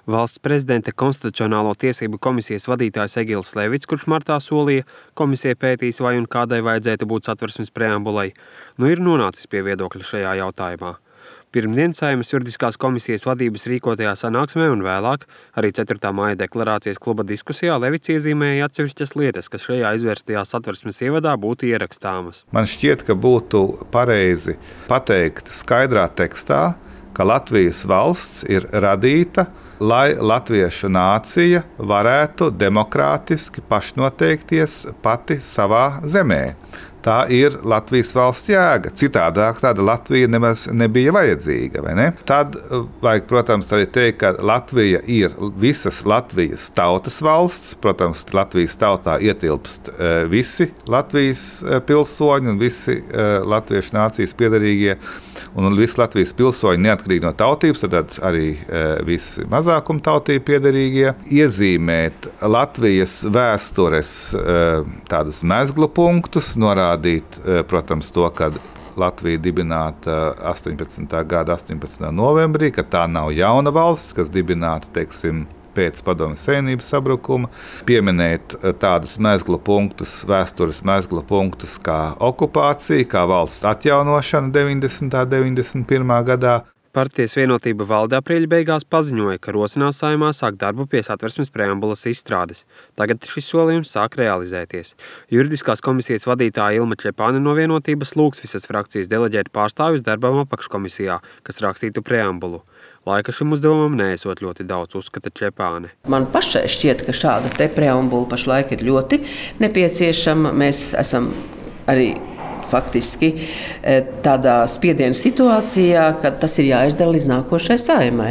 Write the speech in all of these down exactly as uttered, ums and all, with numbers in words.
Valsts prezidenta konstitucionālo tiesību komisijas vadītājs Egils Levits, kurš martā solīja, komisija pētīs, vai un kādai vajadzētu būt Satversmes preambulai, nu ir nonācis pie viedokļa šajā jautājumā. Pirmdien Saeimas juridiskās komisijas vadības rīkotajā sanāksmē un vēlāk arī ceturtā māja deklarācijas kluba diskusijā Levits iezīmēja atsevišķas lietas, kas šajā izvērstajā Satversmes ievadā būtu ierakstāmas. Man šķiet, ka būtu pareizi pateikt skaidrā tekstā, ka Latvijas valsts ir radīta, lai latviešu nācija varētu demokrātiski pašnoteikties pati savā zemē. Tā ir Latvijas valsts jēga. Citādāk tāda Latvija nemaz nebija vajadzīga, vai ne? Tad vajag, protams, arī teikt, ka Latvija ir visas Latvijas tautas valsts. Protams, Latvijas tautā ietilpst visi Latvijas pilsoņi un visi latviešu nācijas piederīgie un visi Latvijas pilsoņi neatkarīgi no tautības, tad arī visi mazākuma tautību piederīgie. Iezīmēt Latvijas vēstures tādus mezglu punktus, norādīt, protams, to, ka Latvija dibināta astoņpadsmitā gada astoņpadsmitā novembrī, ka tā nav jauna valsts, kas dibināta, teiksim, pēc Padomju Savienības sabrukuma, pieminēt tādus mezglu punktus, vēstures mezglu punktus kā okupācija, kā valsts atjaunošana deviņdesmitā un deviņdesmit pirmā gadā. Partijas Vienotība valde aprīļa beigās paziņoja, ka rosinās Saeimā sākt darbu pie Satversmes preambulas izstrādes. Tagad šis solījums sāk realizēties. Juridiskās komisijas vadītāja Ilma Čepāne no Vienotības lūgs visas frakcijas deleģēt pārstāvjus darbam apakškomisijā, kas rakstītu preambulu. Laika šim uzdevumam neesot ļoti daudz, uzskata Čepāne. Man pašai šķiet, ka šāda te preambula pašlaik ir ļoti nepieciešama. Mēs esam arī faktiski tādā spiediena situācijā, kad tas ir jāizdara līdz nākošai Saeimai,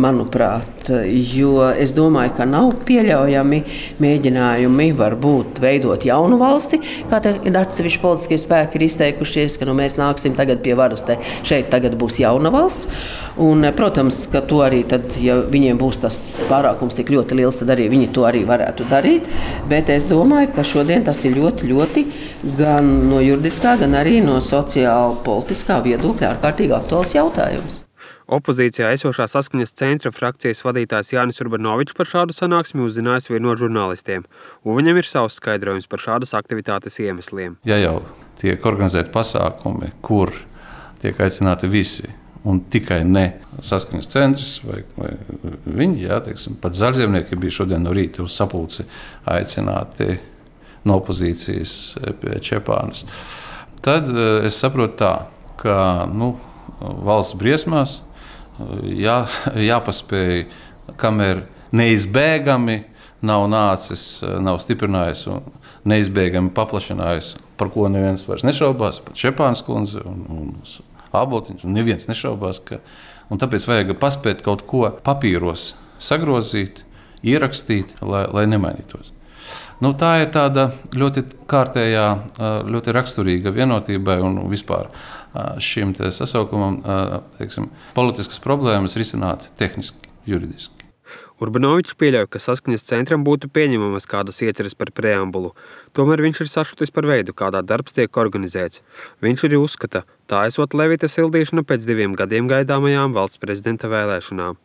manuprāt. Jo es domāju, ka nav pieļaujami mēģinājumi varbūt veidot jaunu valsti, kā te atsevišķi politiskie spēki ir izteikušies, ka nu, mēs nāksim tagad pie varas, te šeit tagad būs jauna valsts. Un, protams, ka to arī tad, ja viņiem būs tas pārākums tik ļoti liels, tad arī viņi to arī varētu darīt. Bet es domāju, ka šodien tas ir ļoti, ļoti gan no juridiskā, gan arī no sociāla politiskā viedokļa ārkārtīgi aktuāls jautājums. Opozīcijā esošā Saskaņas centra frakcijas vadītājs Jānis Urbanovičs par šādu sanāksmi uzzinājis vien no žurnālistiem, un viņam ir savs skaidrojums par šādas aktivitātes iemesliem. Ja jau tiek organizēti pasākumi, kur tiek aicināti visi, un tikai ne Saskaņas centrs vai, vai viņi, jā, teiksim, pat zaļzemnieki bija šodien no rīta uz sapulci aicināti no opozīcijas pie Čepānes. Tad es saprotu tā, ka nu, valsts briesmās jā, jāpaspēj, kamēr neizbēgami nav nācis, nav stiprinājis un neizbēgami paplašinājis, par ko neviens vairs nešaubās, pat Čepānes kundze un, un Āboltiņš, un neviens nešaubās, ka, un tāpēc vajag paspēt kaut ko papīros sagrozīt, ierakstīt, lai, lai nemainītos. Nu, tā ir tāda ļoti kārtējā, ļoti raksturīga Vienotībai un vispār šim te sasaukumam, teiksim, politiskas problēmas risināt tehniski, juridiski. Urbanovičs pieļauj, ka Saskaņas centram būtu pieņemamas kādas ieceres par preambulu. Tomēr viņš ir sašutis par veidu, kādā darbs tiek organizēts. Viņš arī uzskata, tā esot Levita sildīšana pēc diviem gadiem gaidāmajām valsts prezidenta vēlēšanām.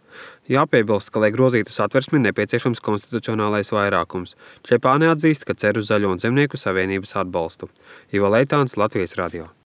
Jāpiebilst, ka, lai grozītu Satversmi, nepieciešams konstitucionālais vairākums. Čepāne atzīst, ka cer uz Zaļo un Zemnieku savienības atbalstu. Ivo Leitāns, Latvijas radio.